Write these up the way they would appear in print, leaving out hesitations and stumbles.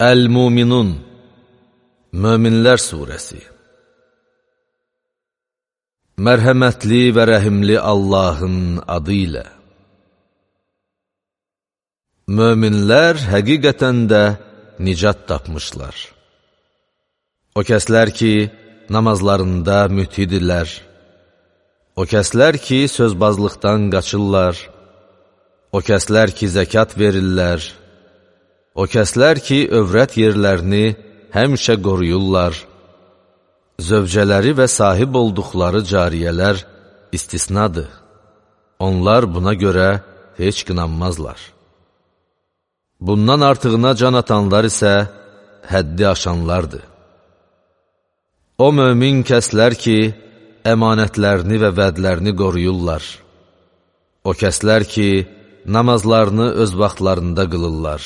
Əl-Muminun Möminlər Suresi Mərhəmətli və rəhimli Allahın adı ilə. Möminlər həqiqətən də nicat tapmışlar. O kəslər ki, namazlarında mütidirlər. O kəslər ki, sözbazlıqdan qaçırlar. O kəslər ki, zəkat verirlər. O kəslər ki, övrət yerlərini həmişə qoruyurlar. Zövcələri və sahib olduqları cariyələr istisnadır. Onlar buna görə heç qınanmazlar. Bundan artığına can atanlar isə həddi aşanlardır. O mömin kəslər ki, əmanətlərini və vədlərini qoruyurlar. O kəslər ki, namazlarını öz vaxtlarında qılırlar.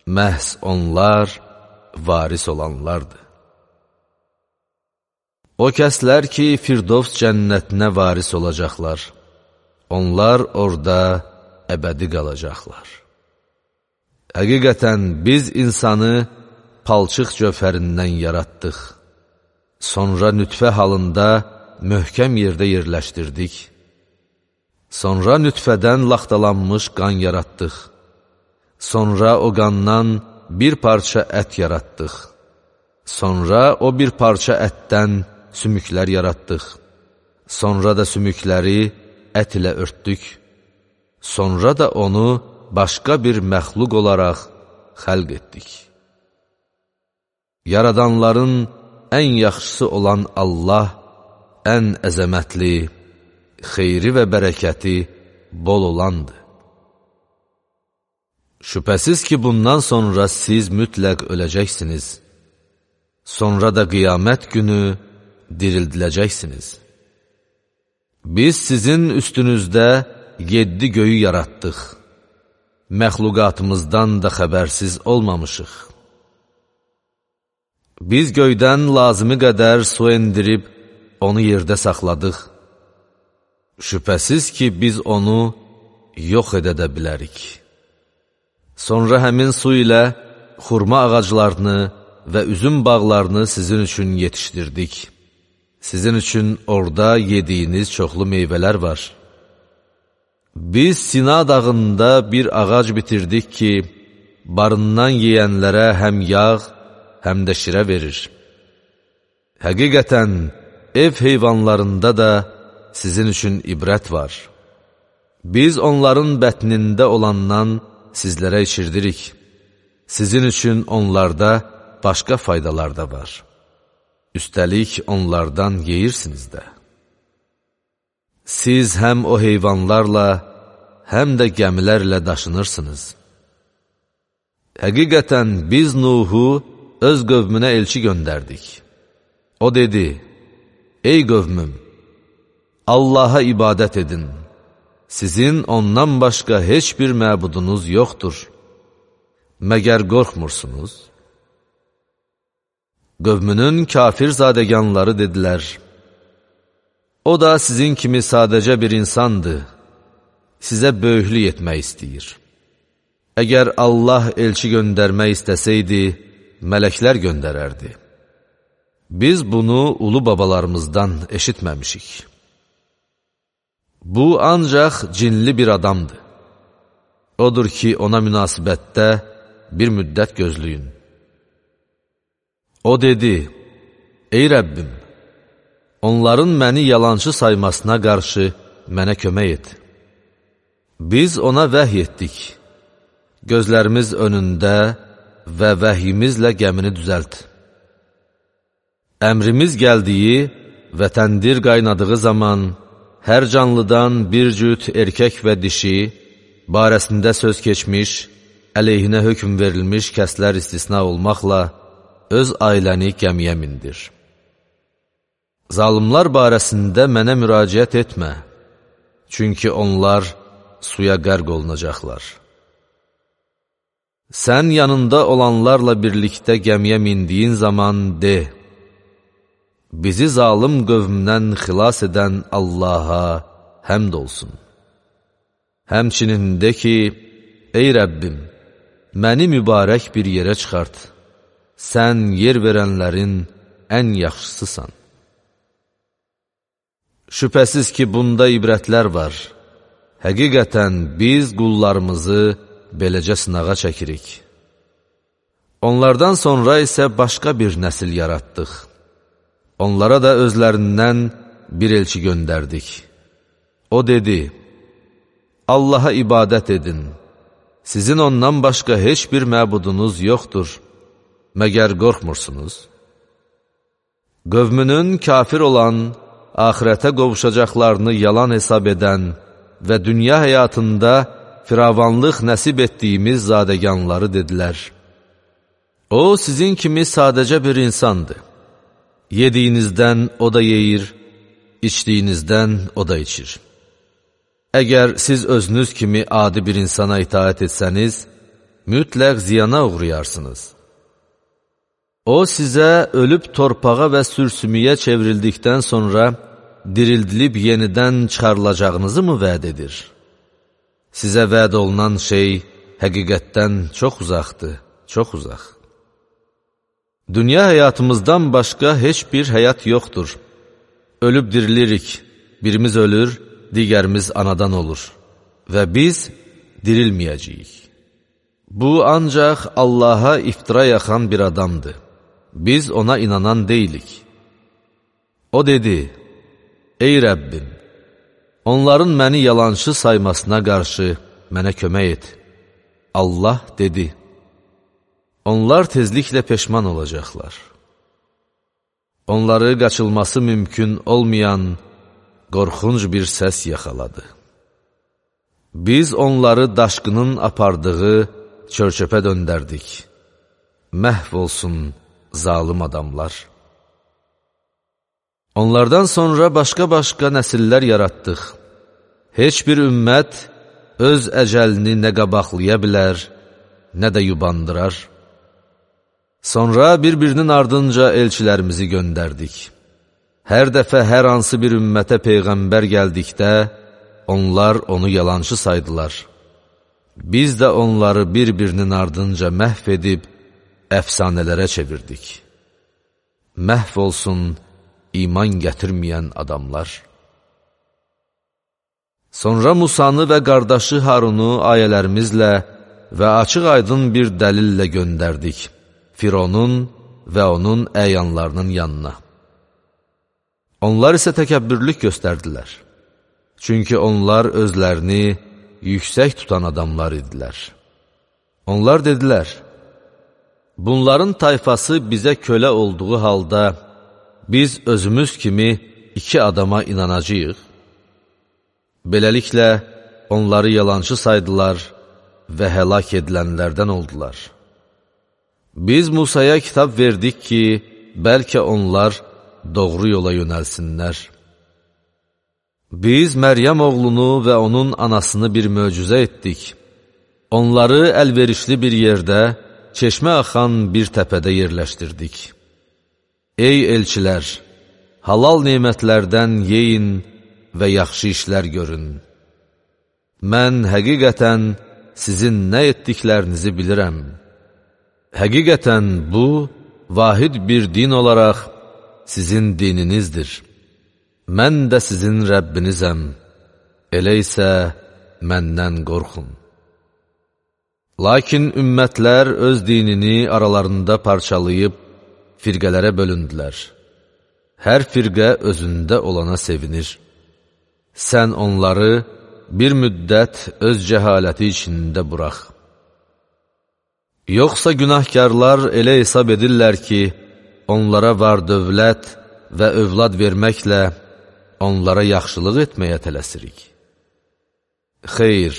Məhz onlar varis olanlardır. O kəslər ki, Firdovs cənnətinə varis olacaqlar. Onlar orada əbədi qalacaqlar. Həqiqətən biz insanı palçıq cövhərindən yaratdıq. Sonra nütfə halında möhkəm yerdə yerləşdirdik. Sonra nütfədən laxtalanmış qan yaratdıq. Sonra o qandan bir parça ət yaratdıq. Sonra o bir parça ətdən sümüklər yaratdıq. Sonra da sümükləri ət ilə örtdük. Sonra da onu başqa bir məxluq olaraq xəlq etdik. Yaradanların ən yaxşısı olan Allah, ən əzəmətli, xeyri və bərəkəti bol olandır. Şübhəsiz ki, bundan sonra siz mütləq öləcəksiniz. Sonra da qiyamət günü dirildiləcəksiniz. Biz sizin üstünüzdə 7 göyü yaratdıq. Məxluqatımızdan da xəbərsiz olmamışıq. Biz göydən lazımi qədər su endirib, onu yerdə saxladıq. Şübhəsiz ki, biz onu yox edə bilərik. Sonra həmin su ilə xurma ağaclarını və üzüm bağlarını sizin üçün yetişdirdik. Sizin üçün orada yediyiniz çoxlu meyvələr var. Biz Sina dağında bir ağac bitirdik ki, barından yeyənlərə həm yağ, həm də şirə verir. Həqiqətən, ev heyvanlarında da sizin üçün ibrət var. Biz onların bətnində olandan sizlərə içirdirik. Sizin üçün onlarda başqa faydalar da var. Üstəlik onlardan yeyirsiniz də. Siz həm o heyvanlarla, həm də gəmilərlə daşınırsınız. Həqiqətən biz Nuhu öz qövmünə elçi göndərdik. O dedi, ey qövmüm, Allaha ibadət edin. Sizin ondan başqa heç bir məbudunuz yoxdur. Məgər qorxmursunuz? Qövmünün kafir zadəganları dedilər, o da sizin kimi sadəcə bir insandır, sizə böyüklük etmək istəyir. Əgər Allah elçi göndərmək istəsəydi, mələklər göndərərdi. Biz bunu ulu babalarımızdan eşitməmişik. Bu ancaq cinli bir adamdır. Odur ki, ona münasibətdə bir müddət gözləyin. O dedi, ey Rəbbim, onların məni yalançı saymasına qarşı mənə kömək et. Biz ona vəhy etdik. Gözlərimiz önündə və vəhyimizlə gəmini düzəlt. Əmrimiz gəldiyi və təndir qaynadığı zaman hər canlıdan bir cüt erkək və dişi, barəsində söz keçmiş, əleyhinə hökm verilmiş kəslər istisna olmaqla öz ailəni gəmiyə mindir. Zalımlar barəsində mənə müraciət etmə, çünki onlar suya qərq olunacaqlar. Sən yanında olanlarla birlikdə gəmiyə mindiyin zaman de, bizi zalım qövmdən xilas edən Allaha həmd olsun. Həmçinin de ki, ey Rəbbim, məni mübarək bir yerə çıxart. Sən yer verənlərin ən yaxşısısan. Şübhəsiz ki, bunda ibrətlər var. Həqiqətən biz qullarımızı beləcə sınağa çəkirik. Onlardan sonra isə başqa bir nəsil yaratdıq. Onlara da özlərindən bir elçi göndərdik. O dedi, Allaha ibadət edin. Sizin ondan başqa heç bir məbudunuz yoxdur. Məgər qorxmursunuz? Qövmünün kafir olan, axirətə qovuşacaqlarını yalan hesab edən və dünya həyatında firavanlıq nəsib etdiyimiz zadəganları dedilər. O, sizin kimi sadəcə bir insandır. Yediyinizdən o da yeyir, içdiyinizdən o da içir. Əgər siz özünüz kimi adi bir insana itaət etsəniz, mütləq ziyana uğrayarsınız. O, sizə ölüb torpağa və sürsümüyə çevrildikdən sonra dirildilib yenidən çıxarılacağınızı mı vəd edir? Sizə vəd olunan şey həqiqətdən çox uzaqdır, çox uzaq. Dünya həyatımızdan başqa heç bir həyat yoxdur. Ölüb dirilirik, birimiz ölür, digərimiz anadan olur və biz dirilməyəcəyik. Bu ancaq Allaha iftira yaxan bir adamdır. Biz ona inanan deyilik. O dedi, ey Rəbbim, onların məni yalançı saymasına qarşı mənə kömək et. Allah dedi, onlar tezliklə peşman olacaqlar. Onları qaçılması mümkün olmayan qorxunc bir səs yaxaladı. Biz onları daşqının apardığı çör-çöpə döndərdik. Məhv olsun zalım adamlar. Onlardan sonra başqa-başqa nəsillər yaratdıq. Heç bir ümmət öz əcəlini nə qabaqlaya bilər, nə də yubandırar. Sonra bir-birinin ardınca elçilərimizi göndərdik. Hər dəfə hər hansı bir ümmətə peyğəmbər gəldikdə, onlar onu yalançı saydılar. Biz də onları bir-birinin ardınca məhv edib, əfsanələrə çevirdik. Məhv olsun iman gətirməyən adamlar. Sonra Musanı və qardaşı Harunu ayələrimizlə və açıq-aydın bir dəlillə göndərdik Fironun və onun əyanlarının yanına. Onlar isə təkəbbürlük göstərdilər. Çünki onlar özlərini yüksək tutan adamlar idilər. Onlar dedilər, bunların tayfası bizə kölə olduğu halda biz özümüz kimi 2 adama inanacağıq. Beləliklə, onları yalançı saydılar və həlak edilənlərdən oldular. Biz Musaya kitab verdik ki, bəlkə onlar doğru yola yönəlsinlər. Biz Məryəm oğlunu və onun anasını bir möcüzə etdik. Onları əlverişli bir yerdə, çeşmə axan bir təpədə yerləşdirdik. Ey elçilər, halal nemətlərdən yeyin və yaxşı işlər görün. Mən həqiqətən sizin nə etdiklərinizi bilirəm. Həqiqətən bu, vahid bir din olaraq sizin dininizdir. Mən də sizin Rəbbinizəm. Elə isə məndən qorxun. Lakin ümmətlər öz dinini aralarında parçalayıb, firqələrə bölündülər. Hər firqə özündə olana sevinir. Sən onları bir müddət öz cəhaləti içində burax. Yoxsa günahkarlar elə hesab edirlər ki, onlara var dövlət və övlad verməklə onlara yaxşılıq etməyə tələsirik. Xeyr,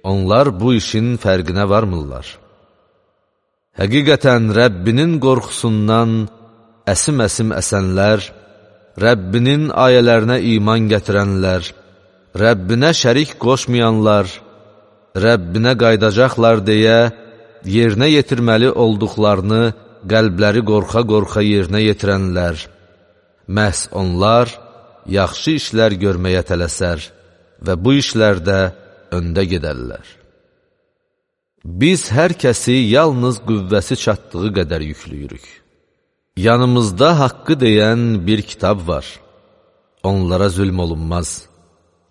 onlar bu işin fərqinə varmırlar. Həqiqətən Rəbbinin qorxusundan əsim-əsim əsənlər, Rəbbinin ayələrinə iman gətirənlər, Rəbbinə şərik qoşmayanlar, Rəbbinə qaydacaqlar deyə, yerinə yetirməli olduqlarını qəlbləri qorxa-qorxa yerinə yetirənlər, məhz onlar yaxşı işlər görməyə tələsər və bu işlərdə öndə gedərlər. Biz hər kəsi yalnız qüvvəsi çatdığı qədər yüklüyürük. Yanımızda haqqı deyən bir kitab var. Onlara zülm olunmaz.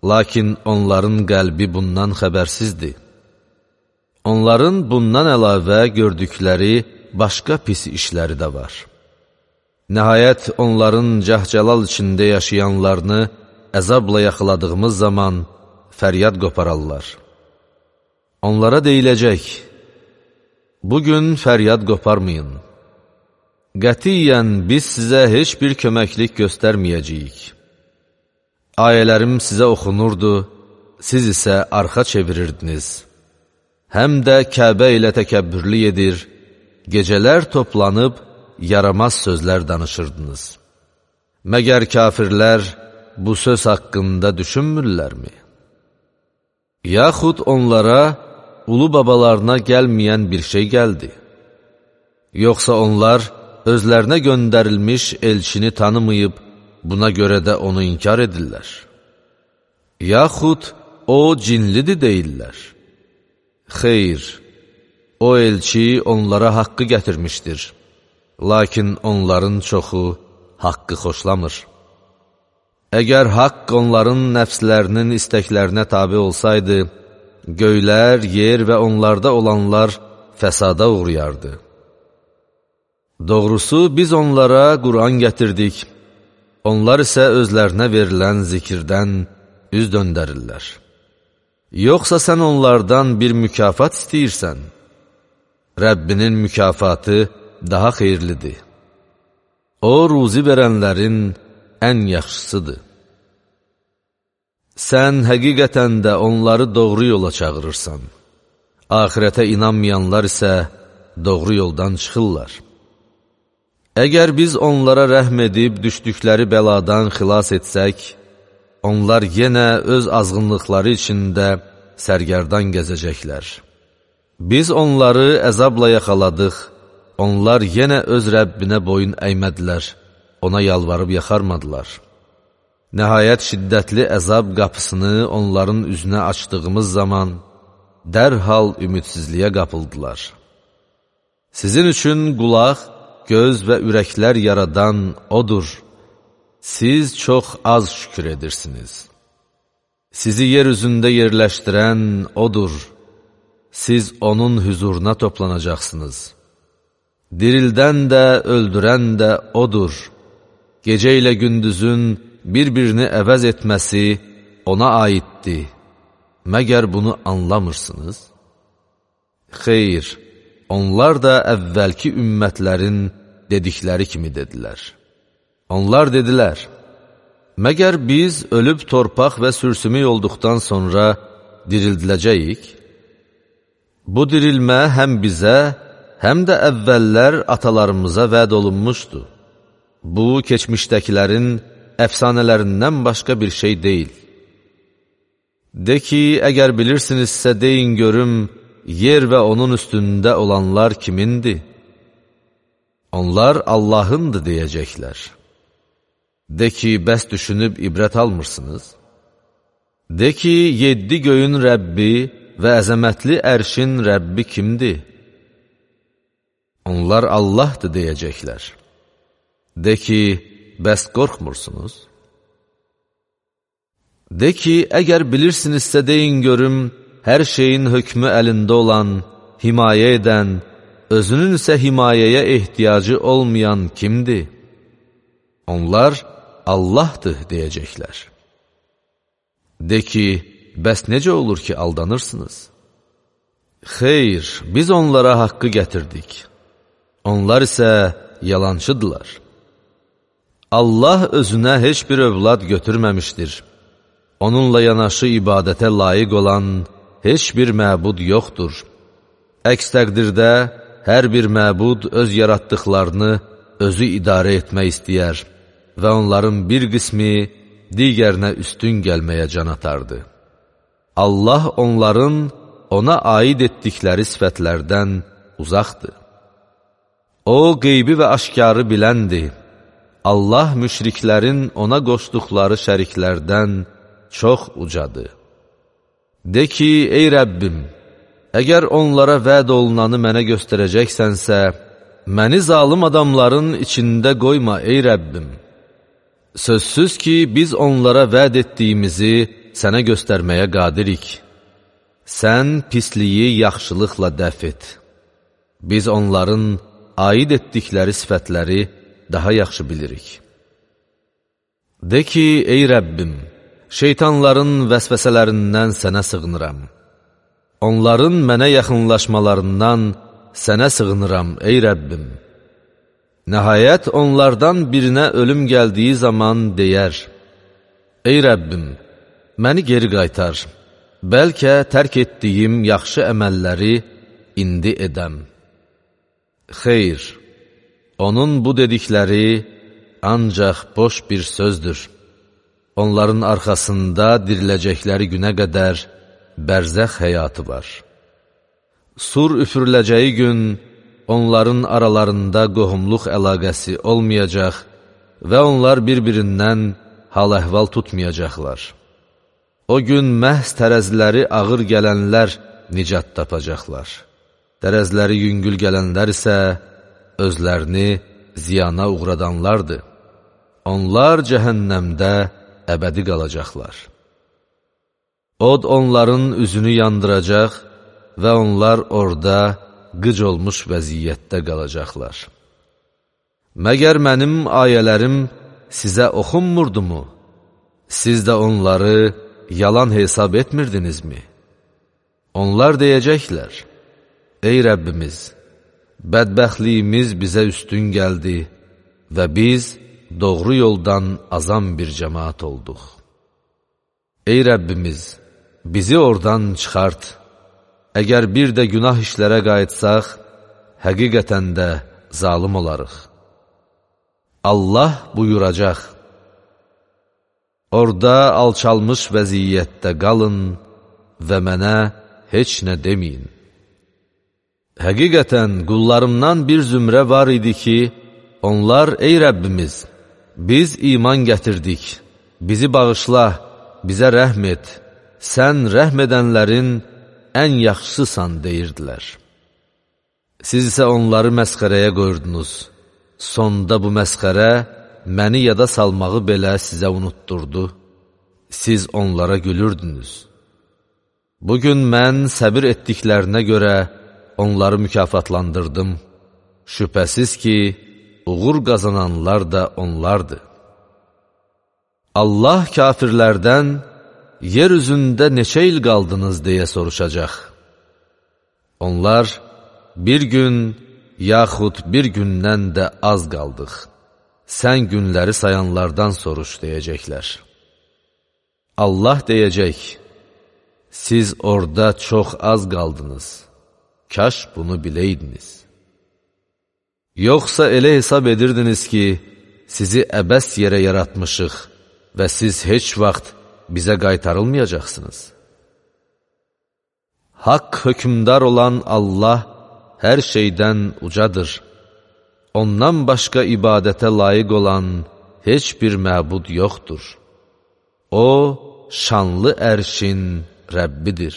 Lakin onların qəlbi bundan xəbərsizdir. Onların bundan əlavə gördükləri başqa pis işləri də var. Nəhayət onların cəhcəlal içində yaşayanlarını əzabla yaxaladığımız zaman fəryad qopararlar. Onlara deyiləcək, bugün fəryad qoparmayın. Qətiyyən biz sizə heç bir köməklik göstərməyəcəyik. Ayələrim sizə oxunurdu, siz isə arxa çevirirdiniz. Həm də Kəbə ilə təkəbbürlü edir, gecələr toplanıb yaramaz sözlər danışırdınız. Məgər kafirlər bu söz haqqında düşünmürlərmi? Yaxud onlara ulu babalarına gəlməyən bir şey gəldi. Yoxsa onlar özlərinə göndərilmiş elçini tanımayıb, buna görə də onu inkar edirlər. Yaxud o cinlidir deyirlər. Xeyr, o elçi onlara haqqı gətirmişdir. Lakin onların çoxu haqqı xoşlamır. Əgər haqq onların nəfslərinin istəklərinə tabi olsaydı, göylər, yer və onlarda olanlar fəsada uğrayardı. Doğrusu biz onlara Qur'an gətirdik, onlar isə özlərinə verilən zikirdən üz döndərirlər. Yoxsa sən onlardan bir mükafat istəyirsən? Rəbbinin mükafatı daha xeyirlidir. O, ruzi verənlərin ən yaxşısıdır. Sən həqiqətən də onları doğru yola çağırırsan. Ahirətə inanmayanlar isə doğru yoldan çıxırlar. Əgər biz onlara rəhm edib düşdükləri bəladan xilas etsək, onlar yenə öz azğınlıqları içində sərgərdan gəzəcəklər. Biz onları əzabla yaxaladıq, onlar yenə öz Rəbbinə boyun əymədilər, ona yalvarıb yaxarmadılar. Nəhayət şiddətli əzab qapısını onların üzünə açdığımız zaman dərhal ümidsizliyə qapıldılar. Sizin üçün qulaq, göz və ürəklər yaradan odur. Siz çox az şükür edirsiniz. Sizi yer üzündə yerləşdirən odur. Siz onun hüzuruna toplanacaqsınız. Dirildən də, öldürən də odur. Gecə ilə gündüzün bir-birini əvəz etməsi ona aiddir. Məgər bunu anlamırsınız? Xeyr, onlar da əvvəlki ümmətlərin dedikləri kimi dedilər. Onlar dedilər, məgər biz ölüb torpaq və sürsümük olduqdan sonra dirildiləcəyik? Bu dirilmə həm bizə, həm də əvvəllər atalarımıza vəd olunmuşdu. Bu, keçmişdəkilərin əfsanələrindən başqa bir şey deyil. De ki, əgər bilirsinizsə deyin görüm, yer və onun üstündə olanlar kimindir? Onlar Allahındır deyəcəklər. De ki, bəs düşünüb ibrət almırsınız? De ki, 7 göyün Rəbbi və əzəmətli ərşin Rəbbi kimdir? Onlar Allahdır deyəcəklər. De ki, bəs qorxmursunuz? De ki, əgər bilirsinizsə deyin görüm, hər şeyin hökmü əlində olan, himayə edən, özünün isə himayəyə ehtiyacı olmayan kimdir? Onlar Allahdır deyəcəklər. De ki, bəs necə olur ki aldanırsınız? Xeyr, biz onlara haqqı gətirdik. Onlar isə yalançıdırlar. Allah özünə heç bir övlad götürməmişdir. Onunla yanaşı ibadətə layiq olan heç bir məbud yoxdur. Əks təqdirdə hər bir məbud öz yaratdıqlarını özü idarə etmək istəyər və onların bir qismi digərinə üstün gəlməyə can atardı. Allah onların ona aid etdikləri sifətlərdən uzaqdır. O, qeybi və aşkarı biləndir. Allah müşriklərin ona qoşduqları şəriklərdən çox ucadır. De ki, ey Rəbbim, əgər onlara vəd olunanı mənə göstərəcəksənsə, məni zalım adamların içində qoyma, ey Rəbbim. Sözsüz ki, biz onlara vəd etdiyimizi sənə göstərməyə qadirik. Sən pisliyi yaxşılıqla dəf et. Biz onların aid etdikləri sifətləri daha yaxşı bilirik. De ki, ey Rəbbim, şeytanların vəsvəsələrindən sənə sığınıram. Onların mənə yaxınlaşmalarından sənə sığınıram, ey Rəbbim. Nəhayət onlardan birinə ölüm gəldiyi zaman deyər, ey Rəbbim, məni geri qaytar, bəlkə tərk etdiyim yaxşı əməlləri indi edəm. Xeyr, onun bu dedikləri ancaq boş bir sözdür. Onların arxasında diriləcəkləri günə qədər bərzəx həyatı var. Sur üfürüləcəyi gün onların aralarında qohumluq əlaqəsi olmayacaq və onlar bir-birindən hal-əhval tutmayacaqlar. O gün məhz tərəziləri ağır gələnlər nicat tapacaqlar. Tərəziləri yüngül gələnlər isə özlərini ziyana uğradanlardır. Onlar cəhənnəmdə əbədi qalacaqlar. Od onların üzünü yandıracaq və onlar orada qıc olmuş vəziyyətdə qalacaqlar. Məgər mənim ayələrim sizə oxunmurdumu? Siz də onları yalan hesab etmirdinizmi? Onlar deyəcəklər, ey Rəbbimiz, bədbəxtliyimiz bizə üstün gəldi və biz doğru yoldan azam bir cəmaat olduq. Ey Rəbbimiz, bizi oradan çıxart. Əgər bir də günah işlərə qayıtsaq, həqiqətən də zalım olarıq. Allah buyuracaq, orada alçalmış vəziyyətdə qalın və mənə heç nə deməyin. Həqiqətən qullarımdan bir zümrə var idi ki, onlar, ey Rəbbimiz, biz iman gətirdik, bizi bağışla, bizə rəhm et, sən rəhm edənlərin ən yaxşısısan deyirdilər. Siz isə onları məsxərəyə qoyurdunuz. Sonda bu məsxərə məni yada salmağı belə sizə unutturdu. Siz onlara gülürdünüz. Bugün mən səbir etdiklərinə görə onları mükafatlandırdım. Şübhəsiz ki, uğur qazananlar da onlardır. Allah kafirlərdən, yer üzündə neçə il qaldınız deyə soruşacaq. Onlar, bir gün, yaxud bir gündən də az qaldıq. Sən günləri sayanlardan soruş deyəcəklər. Allah deyəcək, siz orada çox az qaldınız. Kaş bunu biləydiniz. Yoxsa elə hesab edirdiniz ki, sizi əbəs yerə yaratmışıq və siz heç vaxt bizə qaytarılmayacaqsınız. Haqq hökmdar olan Allah hər şeydən ucadır. Ondan başqa ibadətə layiq olan heç bir məbud yoxdur. O, şanlı ərşin Rəbbidir.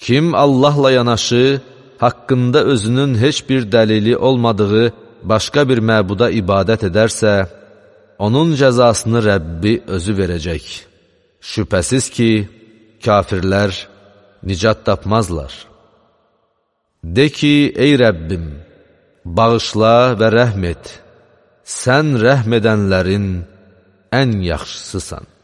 Kim Allahla yanaşı, haqqında özünün heç bir dəlili olmadığı başqa bir məbuda ibadət edərsə, onun cəzasını Rəbbi özü verəcək. Şübhəsiz ki, kafirlər nicat tapmazlar. De ki, ey Rəbbim, bağışla və rəhm et, sən rəhm edənlərin ən yaxşısısan.